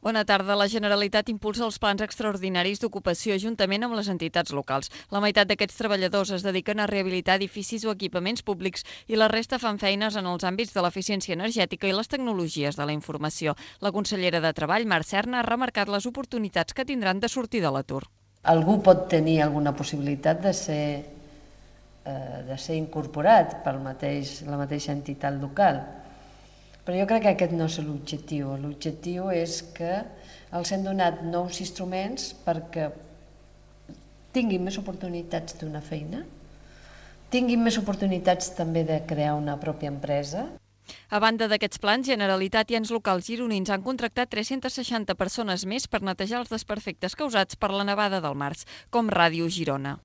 Bona tarda. La Generalitat impulsa els plans extraordinaris d'ocupació juntament amb les entitats locals. La meitat d'aquests treballadors es dediquen a rehabilitar edificis o equipaments públics i la resta fan feines en els àmbits de l'eficiència energètica i les tecnologies de la informació. La consellera de Treball, Mar Serna, ha remarcat les oportunitats que tindran de sortir de l'atur. Algú pot tenir alguna possibilitat de ser incorporat per la mateixa entitat local. Però jo crec que aquest no és l'objectiu. L'objectiu és que els hem donat nous instruments perquè tinguin més oportunitats d'una feina, tinguin més oportunitats també de crear una pròpia empresa. A banda d'aquests plans, Generalitat i ens locals gironins han contractat 360 persones més per netejar els desperfectes causats per la nevada del març, com Ràdio Girona.